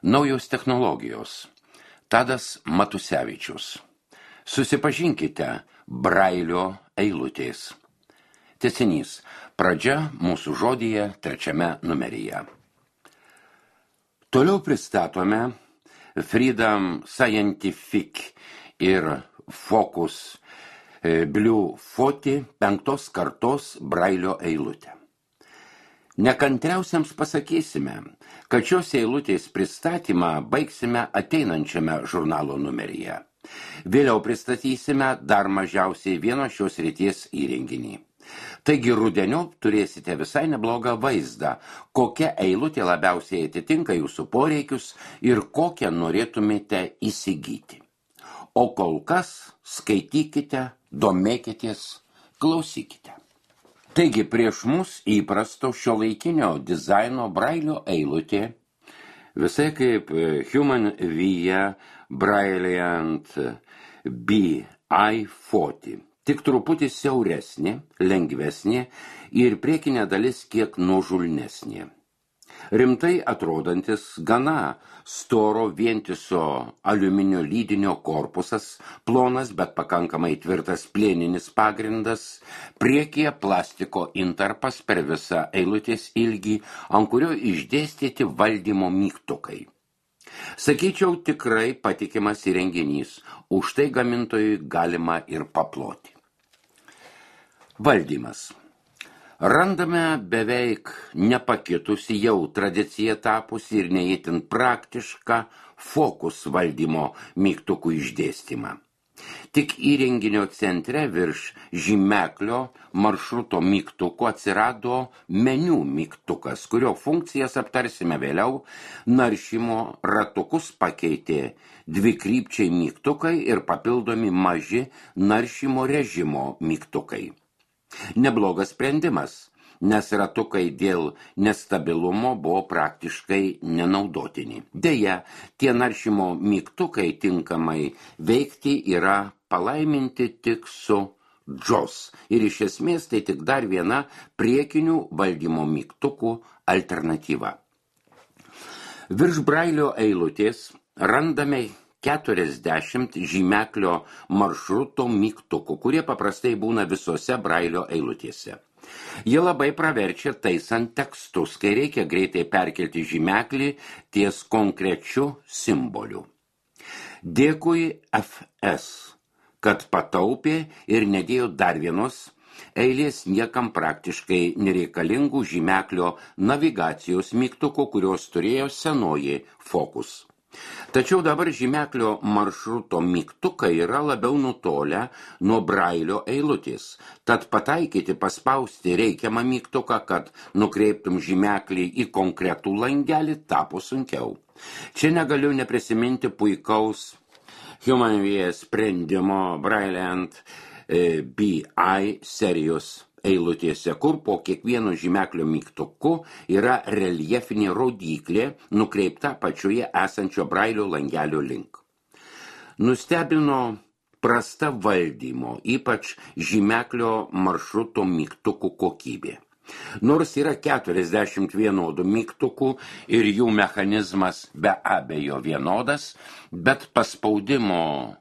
Naujos technologijos. Tadas Matusevičius. Susipažinkite Brailio eilutės. Tęsinys. Pradžia mūsų žodyje 3 numeryje. Toliau pristatome Freedom Scientific ir Focus Blue 5 kartos Brailio eilutę. Nekantriausiams pasakysime, kad šios eilutės pristatymą baigsime ateinančiame žurnalo numeryje. Vėliau pristatysime dar mažiausiai vieno šios srities įrenginį. Taigi rudeniop turėsite visai neblogą vaizdą, kokia eilutė labiausiai atitinka jūsų poreikius ir kokią norėtumėte įsigyti. O kol kas skaitykite, domėkitės, klausykite. Taigi prieš mus įprasto šiuolaikinio dizaino Brailio eilutė, visai kaip Human Via Brilliant BI40, tik truputį siauresnė, lengvesnė ir priekinė dalis kiek nuožulnesnė. Rimtai atrodantis gana storo vientiso aliuminio lydinio korpusas, plonas, bet pakankamai tvirtas plieninis pagrindas, priekyje plastiko intarpas per visą eilutės ilgį, ant kurio išdėstyti valdymo mygtukai. Sakyčiau, tikrai patikimas įrenginys, už tai gamintojui galima ir paploti. Valdymas. Randame beveik nepakitusi jau tradicija tapusi ir neįtin praktišką fokus valdymo mygtukų išdėstymą. Tik įrenginio centre virš žymeklio maršruto mygtuko atsirado meniu mygtukas, kurio funkcijas aptarsime vėliau. Naršymo ratukus pakeitė dvikrypčiai mygtukai ir papildomi maži naršymo režimo mygtukai. Neblogas sprendimas, nes ratukai dėl nestabilumo buvo praktiškai nenaudotini. Deja, tie naršymo mygtukai tinkamai veikti yra palaiminti tik su JAWS ir iš esmės tai tik dar viena priekinių valdymo mygtukų alternatyva. Virš Brailio eilutės randame 40 žymeklio maršruto mygtukų, kurie paprastai būna visose Brailio eilutėse. Jie labai praverčia taisant tekstus, kai reikia greitai perkelti žymeklį ties konkrečiu simboliu. Dėkui FS, kad pataupė ir nedėjo dar vienos eilės niekam praktiškai nereikalingų žymeklio navigacijos mygtukų, kurios turėjo senoji Focus. Tačiau dabar žymeklio maršruto mygtukai yra labiau nutolę nuo Brailio eilutės, tad pataikyti paspausti reikiamą mygtuką, kad nukreiptum žymeklį į konkretų langelį, tapo sunkiau. Čia negaliu neprisiminti puikaus Human Via sprendimo Brilliant BI serijos eilutėse, kur po kiekvieno žymeklio mygtuku yra reljefinė rodyklė nukreipta pačioje esančio Brailio langelio link. Nustebino prasta valdymo, ypač žymeklio maršruto mygtukų kokybė. Nors yra 40 vienodų mygtukų ir jų mechanizmas be abejo vienodas, bet paspaudimo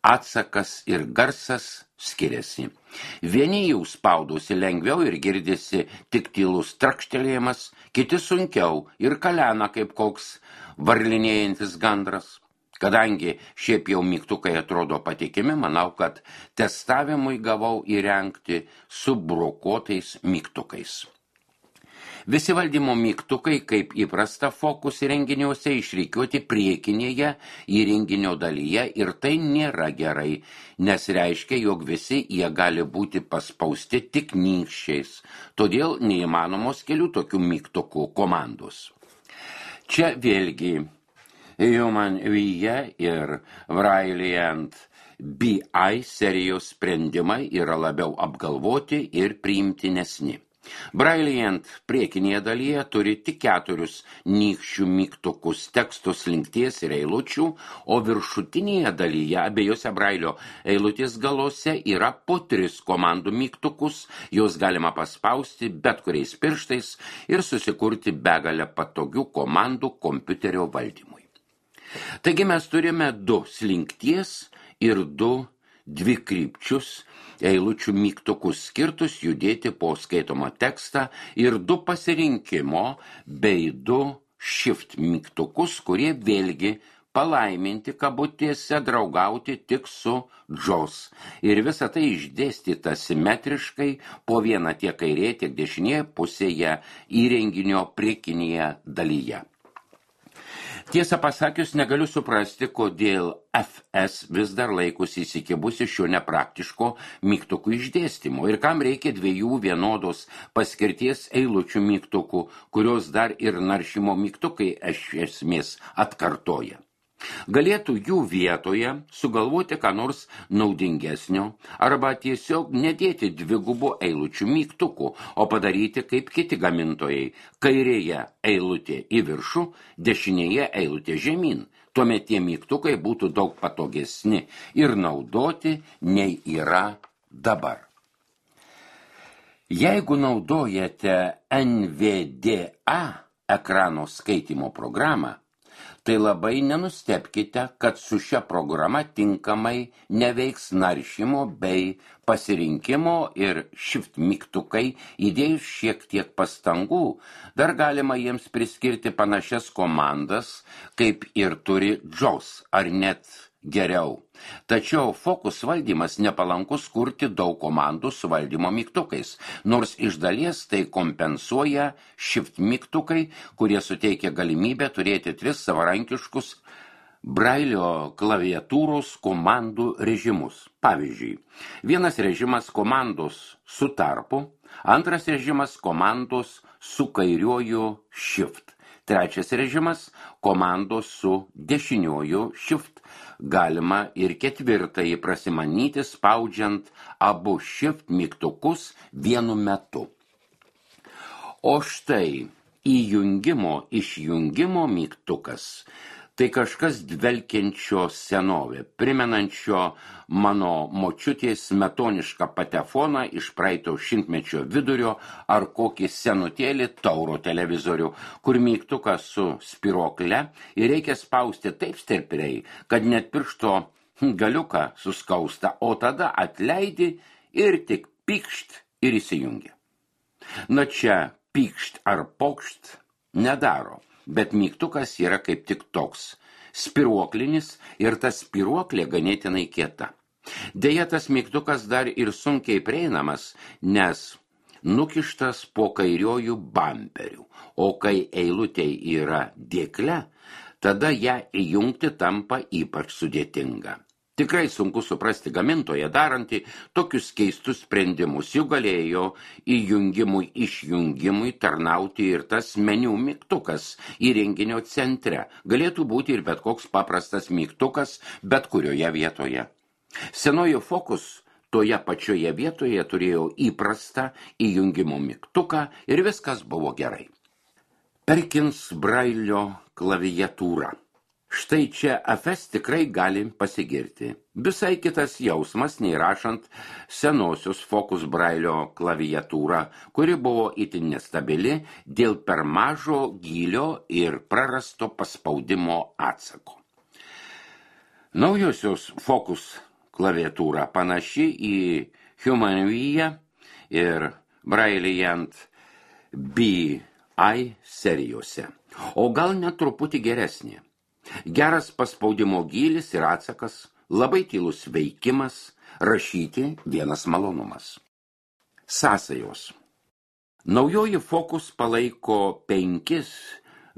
atsakas ir garsas skiriasi. Vieni jau spaudosi lengviau ir girdisi tik tylus trakštelėjimas, kiti sunkiau ir kalena kaip koks varlinėjantis gandras. Kadangi šiaip jau mygtukai atrodo patikimi, manau, kad testavimui gavau įrengti su brokuotais mygtukais. Visi valdymo mygtukai, kaip įprasta Focus įrenginiuose, išrikiuoti priekinėje įrenginio dalyje ir tai nėra gerai, nes reiškia, jog visi jie gali būti paspausti tik nykščiais, todėl neįmanomos kelių tokių mygtukų komandos. Čia vėlgi Human Via ir Brilliant BI serijos sprendimai yra labiau apgalvoti ir priimtinesni. Brilliant priekinėje dalyje turi tik 4 nykščių mygtukus teksto slinkties ir eilučių, o viršutinėje dalyje abiejose Brailio eilutės galuose yra po 3 komandų mygtukus, juos galima paspausti bet kuriais pirštais ir susikurti begalę patogių komandų kompiuterio valdymui. Taigi mes turime 2 slinkties ir 2 dvikrypčius eilučių mygtukus skirtus judėti po skaitomą tekstą ir 2 pasirinkimo bei 2 shift mygtukus, kurie vėlgi palaiminti kabutėse draugauti tik su Jaws. Ir visa tai išdėstyta simetriškai po vieną tiek kairė, tiek dešinėje pusėje įrenginio priekinėje dalyje. Tiesą pasakius, negaliu suprasti, kodėl FS vis dar laikosi įsikibusi šio nepraktiško mygtukų išdėstymo ir kam reikia 2 vienodos paskirties eilučių mygtukų, kurios dar ir naršymo mygtukai iš esmės atkartoja. Galėtų jų vietoje sugalvoti ką nors naudingesnio arba tiesiog nedėti 2 eilučių mygtukų, o padaryti kaip kiti gamintojai – kairėje eilutė į viršų, dešinėje eilutė žemyn. Tuomet tie mygtukai būtų daug patogesni ir naudoti nei yra dabar. Jeigu naudojate NVDA ekrano skaitymo programą, tai labai nenustebkite, kad su šia programa tinkamai neveiks naršymo bei pasirinkimo ir shift mygtukai, įdėjus šiek tiek pastangų, dar galima jiems priskirti panašias komandas, kaip ir turi Jaws, ar net geriau. Tačiau fokus valdymas nepalankus kurti daug komandų su valdymo mygtukais, nors iš dalies tai kompensuoja shift mygtukai, kurie suteikia galimybę turėti 3 savarankiškus Brailio klaviatūros komandų režimus. Pavyzdžiui, vienas režimas komandos su tarpu, antras režimas komandos su kairiuoju shift, trečias režimas komandos su dešiniuoju shift. Galima ir 4 prasimanyti spaudžiant abu shift mygtukus vienu metu. O štai įjungimo-išjungimo mygtukas tai kažkas dvelkiančio senovė, primenančio mano močiutės smetonišką patefoną iš praeito šimtmečio vidurio ar kokį senutėlį tauro televizorių, kur mygtukas su spirokle ir reikia spausti taip stipriai, kad net piršto galiuką suskausta, o tada atleidi ir tik pykšt ir įsijungia. Na čia pykšt ar pokšt nedaro. Bet mygtukas yra kaip tik toks spiruoklinis ir ta spiruoklė ganėtinai kieta. Deja, tas mygtukas dar ir sunkiai prieinamas, nes nukištas po kairiojų bamperių, o kai eilutė yra dėkle, tada ją įjungti tampa ypač sudėtinga. Tikrai sunku suprasti gamintoją darantį tokius keistus sprendimus. Jų galėjo įjungimui tarnauti ir tas meniu mygtukas įrenginio centre. Galėtų būti ir bet koks paprastas mygtukas bet kurioje vietoje. Senoji Focus toje pačioje vietoje turėjo įprastą įjungimo mygtuką ir viskas buvo gerai. Perkins Brailio klaviatūra. Štai čia FS tikrai gali pasigirti. Visai kitas jausmas nei rašant senosios Focus Brailio klaviatūrą, kuri buvo itin nestabili dėl per mažo gylio ir prarasto paspaudimo atsako. Naujosios Focus klaviatūra panaši į Humanville ir Brilliant BI serijose, o gal net truputį geresnė. Geras paspaudimo gylis ir atsakas, labai tylus veikimas, rašyti vienas malonumas. Sąsajos. Naujoji Focus palaiko 5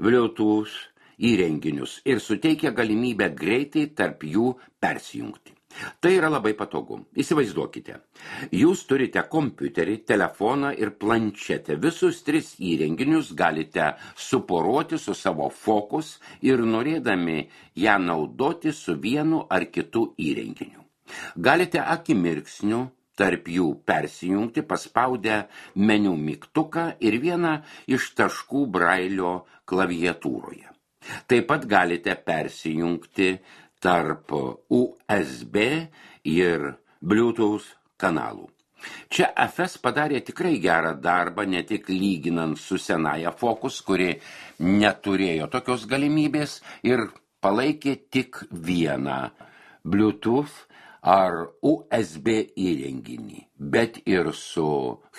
Bluetooth įrenginius ir suteikia galimybę greitai tarp jų persijungti. Tai yra labai patogu. Įsivaizduokite, jūs turite kompiuterį, telefoną ir planšetę. Visus 3 įrenginius galite suporoti su savo Focus ir norėdami ją naudoti su vienu ar kitu įrenginiu. Galite akimirksniu tarp jų persijungti, paspaudę meniu mygtuką ir vieną iš taškų Brailio klaviatūroje. Taip pat galite persijungti tarp USB ir Bluetooth kanalų. Čia FS padarė tikrai gerą darbą, ne tik lyginant su senaja Focus, kuri neturėjo tokios galimybės ir palaikė tik vieną Bluetooth ar USB įrenginį, bet ir su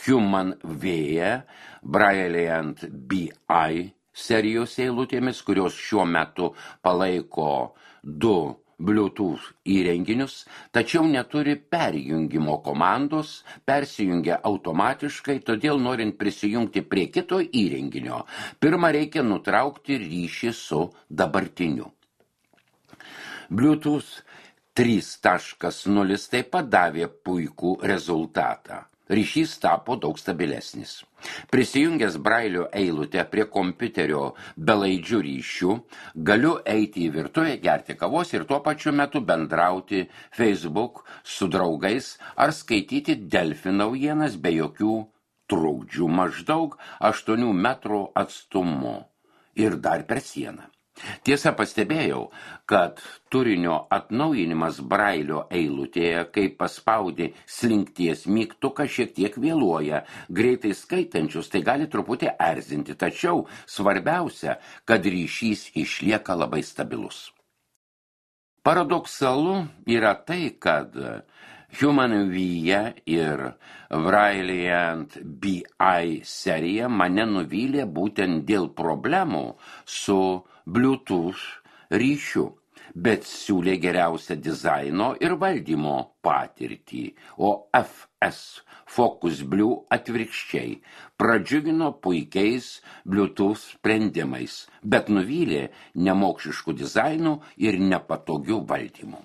HumanVia, Brilliant BI serijos eilutėmis, kurios šiuo metu palaiko 2 Bluetooth įrenginius, tačiau neturi perjungimo komandos, persijungia automatiškai, todėl norint prisijungti prie kito įrenginio, pirmą reikia nutraukti ryšį su dabartiniu. Bluetooth 3.0 taip pat davė puikų rezultatą. Ryšys tapo daug stabilesnis. Prisijungęs Brailio eilutę prie kompiuterio belaidžių ryšių, galiu eiti į virtuvę, gerti kavos ir tuo pačiu metu bendrauti Facebook su draugais ar skaityti Delfi naujienas be jokių trukdžių maždaug 8 metrų atstumu ir dar per sieną. Tiesa, pastebėjau, kad turinio atnaujinimas Brailio eilutėje, kai paspaudi slinkties mygtuką, šiek tiek vėluoja. Greitai skaitančius tai gali truputį erzinti, tačiau svarbiausia, kad ryšys išlieka labai stabilus. Paradoksalu yra tai, kad HumanVia ir Brilliant BI serija mane nuvylė būtent dėl problemų su Bluetooth ryšiu, bet siūlė geriausią dizaino ir valdymo patirtį, o FS Focus Blue atvirkščiai pradžiugino puikiais Bluetooth sprendimais, bet nuvylė nemokšiškų dizainų ir nepatogių valdymų.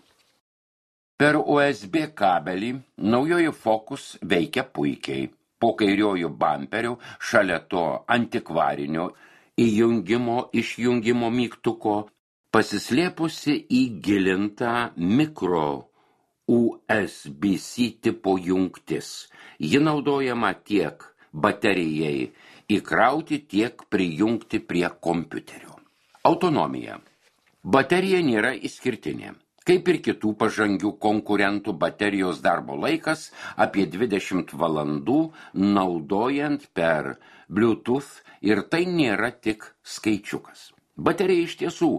Per USB kabelį naujoji Focus veikia puikiai. Po kairiojų bamperių šalia to antikvarinio įjungimo-išjungimo mygtuko pasislėpusi įgilintą mikro USB-C tipo jungtis. Ji naudojama tiek baterijai įkrauti, tiek prijungti prie kompiuterio. Autonomija. Baterija nėra išskirtinė. Kaip ir kitų pažangių konkurentų, baterijos darbo laikas apie 20 valandų naudojant per Bluetooth ir tai nėra tik skaičiukas. Baterija iš tiesų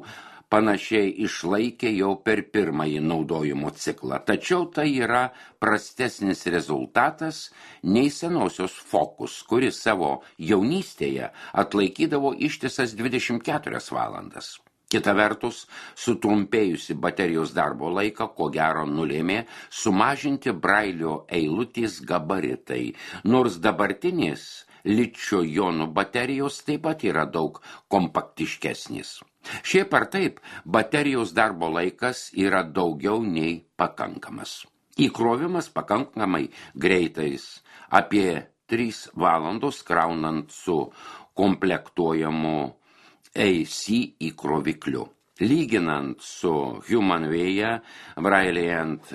panašiai išlaikė jau per pirmąjį naudojimo ciklą, tačiau tai yra prastesnis rezultatas nei senosios Focus, kuri savo jaunystėje atlaikydavo ištisas 24 valandas. Kita vertus, sutrumpėjusi baterijos darbo laiką, ko gero nulėmė sumažinti Brailio eilutės gabaritai, nors dabartinės ličio jonų baterijos taip pat yra daug kompaktiškesnis. Šiaip ar taip, baterijos darbo laikas yra daugiau nei pakankamas. Įkrovimas pakankamai greitais, apie 3 valandos kraunant su komplektuojamu AC įkrovikliu. Lyginant su HumanVia, Brilliant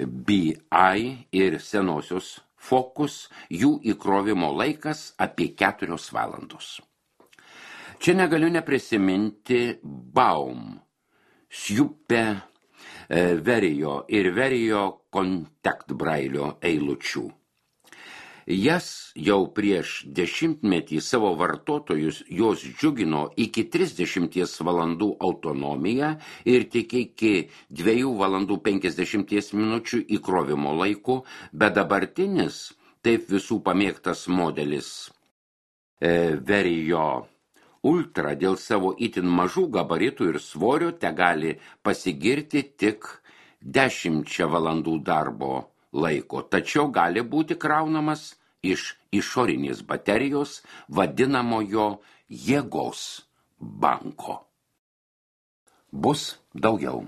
BI ir senosios Focus, jų įkrovimo laikas apie 4 valandos. Čia negaliu neprisiminti Baum, Sjupe, Verio ir Verio Contact Brailio eilučių. Jas jau prieš 10-metį savo vartotojus jos džiugino iki 30 valandų autonomiją ir tik iki 2 valandų 50 minučių įkrovimo laiku, bet dabartinis, taip visų pamėgtas modelis Verio Ultra dėl savo itin mažų gabaritų ir svorio tegali pasigirti tik 10 valandų darbo laiko, tačiau gali būti kraunamas iš išorinės baterijos vadinamojo jėgos banko. Bus daugiau.